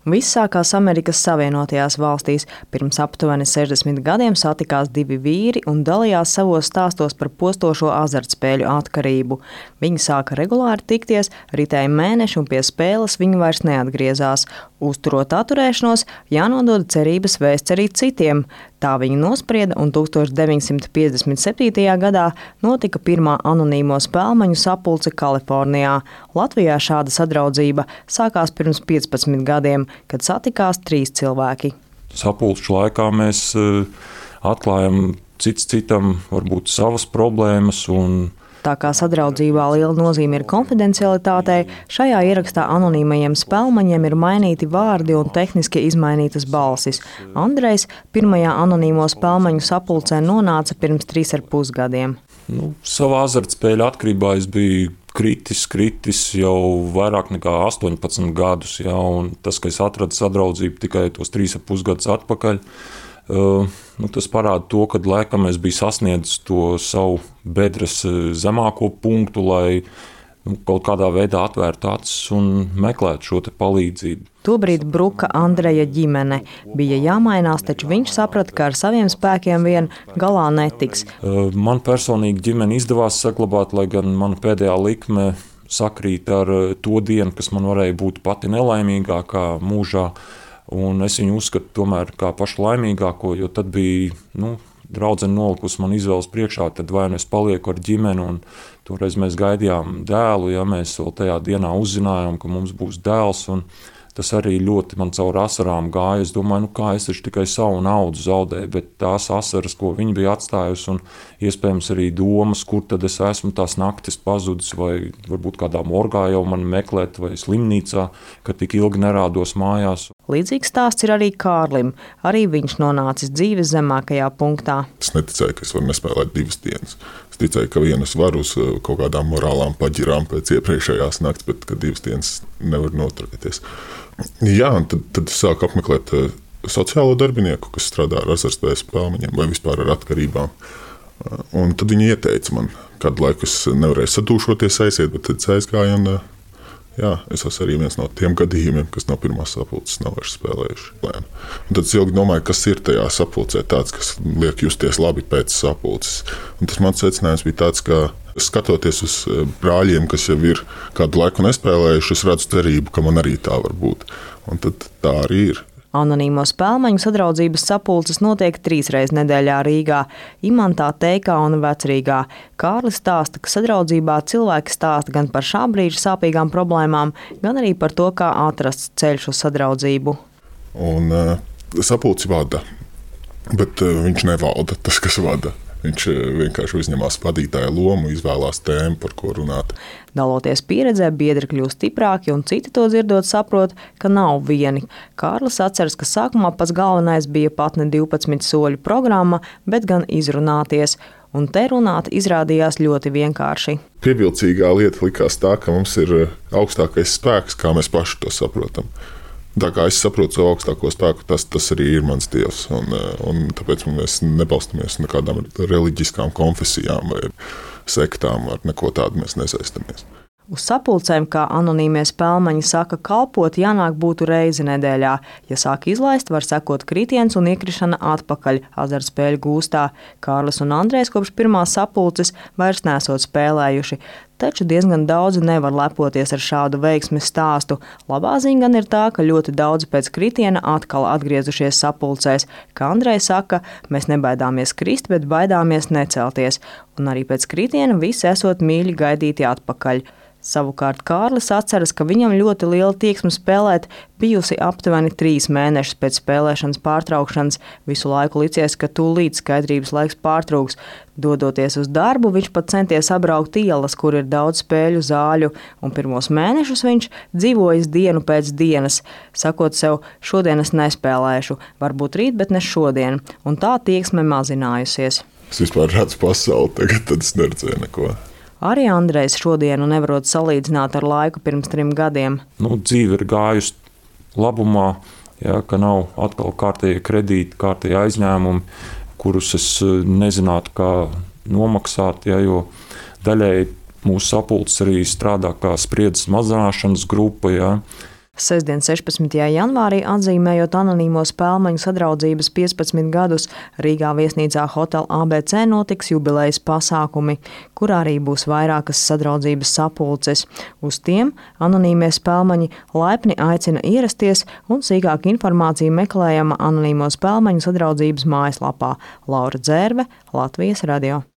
Viss sākās Amerikas Savienotajās valstīs. Pirms aptuveni 60 gadiem satikās divi vīri un dalījās savos stāstos par postošo azartspēļu atkarību. Viņi sāka regulāri tikties, ritēja mēneši un pie spēles viņi vairs neatgriezās. Uzturot atturēšanos, jānodod cerības vēsts arī citiem. Tā viņi nosprieda, un 1957. gadā notika pirmā anonīmo spēlmaņu sapulce Kalifornijā. Latvijā šāda sadraudzība sākās pirms 15 gadiem, kad satikās 3 cilvēki. Sapulču laikā mēs atklājam cits citam varbūt savas problēmas. Tā kā sadraudzībā liela nozīme ir konfidencialitātei, šajā ierakstā anonīmajiem spēlmaņiem ir mainīti vārdi un tehniski izmainītas balsis. Andrejs pirmajā anonīmo spēlmaņu sapulcē nonāca pirms 3,5 gadiem. Savā azartspēļu atkarībā es biju kritis jau vairāk nekā 18 gadus. Ja, un tas, ka es atradu sadraudzību tikai tos 3,5 gadus atpakaļ, tas parāda to, ka laikam es biju sasniedzis to savu bedres zemāko punktu, lai kaut kādā veidā atvērtu acis un meklētu šo palīdzību. Tobrīd bruka Andreja ģimene. Bija jāmainās, taču viņš saprata, ka ar saviem spēkiem vien galā netiks. Man personīgi ģimeni izdevās saglabāt, lai gan mana pēdējā likme sakrīt ar to dienu, kas man varēja būt pati nelaimīgākā mūžā. Un es viņu uzskatu tomēr kā pašu laimīgāko, jo tad bija draudzene nolikusi man izvēles priekšā, tad vai nu es palieku ar ģimeni, un toreiz mēs gaidījām dēlu, ja mēs vēl tajā dienā uzzinājām, ka mums būs dēls, un tas arī ļoti man caur asarām gāja. Es domāju, kā es taču tikai savu naudu zaudēju, bet tās asaras, ko viņa bija atstājusi, un iespējams arī domas, kur tad es esmu tās naktis pazudis, vai varbūt kādā morgā jau mani meklēt, vai slimnīcā, ka tik ilgi nerādos mājās. Līdzīgs stāsts ir arī Kārlim. Arī viņš nonācis dzīves zemākajā punktā. Es neticēju, ka es varu nespēlēt 2 dienas. Es ticēju, ka vienu es varu uz kaut kādām morālām paģirām pēc iepriekšējās nakts, bet ka 2 dienas nevar noturēties. Jā, un tad sāku apmeklēt sociālo darbinieku, kas strādā ar azartspēļu spēlmaņiem vai vispār ar atkarībām. Un tad viņi ieteica man, kādu laiku es nevarēju sadūšoties aiziet, bet tad aizgāju un es esmu arī viens no tiem gadījumiem, kas no pirmās sapulces nav vairs spēlējuši. Un tad es ilgi domāju, kas ir tajā sapulcē tāds, kas liek justies labi pēc sapulces. Un tas mans secinājums bija tāds, ka skatoties uz brāļiem, kas jau ir kādu laiku nespēlējuši, es redzu cerību, ka man arī tā var būt. Un tad tā arī ir. Anonīmo spēlmaņu sadraudzības sapulces notiek 3 reizes nedēļā Rīgā, Imantā, Teikā un Vecrīgā. Kārlis stāsta, ka sadraudzībā cilvēki stāsta gan par šā brīža sāpīgām problēmām, gan arī par to, kā atrasts ceļš uz sadraudzību. Un sapulci vada, bet viņš nevalda tas, kas vada. Viņš vienkārši uzņemās vadītāja lomu, izvēlās tēmu, par ko runāt. Daloties pieredzē, biedri kļūst stiprāki, un citi to dzirdot saprot, ka nav vieni. Kārlis atceras, ka sākumā pats galvenais bija pat ne 12 soļu programma, bet gan izrunāties. Un te runāt izrādījās ļoti vienkārši. Pievilcīgā lieta likās tā, ka mums ir augstākais spēks, kā mēs paši to saprotam. Tā kā es saprotu savu augstāko spēku, tas arī ir mans dievs. Un tāpēc mēs nebalstamies nekādām reliģiskām konfesijām vai sektām, ar neko tādu mēs nesaistamies. Uz sapulcēm, kā anonīmie spēlmaņi saka, kalpot jānāk būtu reizi nedēļā. Ja sāk izlaist, var sekot kritiens un iekrišana atpakaļ azartspēļu gūstā. Kārlis un Andrejs kopš pirmās sapulces vairs nesot spēlējuši. Taču diezgan daudzi nevar lepoties ar šādu veiksmes stāstu. Labā ziņa gan ir tā, ka ļoti daudzi pēc kritiena atkal atgriezušies sapulcēs. Kā Andrejs saka, mēs nebaidāmies krist, bet baidāmies necelties. Un arī pēc kritiena visi esot mīļi gaidīti atpakaļ. Savukārt Kārlis atceras, ka viņam ļoti liela tieksme spēlēt bijusi aptuveni 3 mēnešus pēc spēlēšanas pārtraukšanas. Visu laiku licies, ka tūlīt skaidrības laiks pārtrūks. Dodoties uz darbu, viņš pat centies apbraukt ielas, kur ir daudz spēļu zāļu, un pirmos mēnešus viņš dzīvojis dienu pēc dienas, sakot sev, šodien es nespēlēšu, varbūt rīt, bet ne šodien, un tā tieksme mazinājusies. Es vispār redzu pasauli, tagad tad es neredzēju neko. Arī Andrejs šodienu nevarot salīdzināt ar laiku pirms 3 gadiem. Dzīve ir gājusi labumā, ka nav atkal kārtējie kredīti, kārtējie aizņēmumi, kurus es nezinātu, kā nomaksāt, jo daļēji mūsu sapulces arī strādā kā spriedzes mazināšanas grupa. Sestdien 16. janvārī, atzīmējot anonīmo spēlmaņu sadraudzības 15 gadus, Rīgā viesnīcā Hotel ABC notiks jubilejas pasākumi, kur arī būs vairākas sadraudzības sapulces. Uz tiem anonīmie spēlmaņi laipni aicina ierasties, un sīkāka informācija meklējama anonīmo spēlmaņu sadraudzības mājaslapā. Laura Dzērve, Latvijas radio.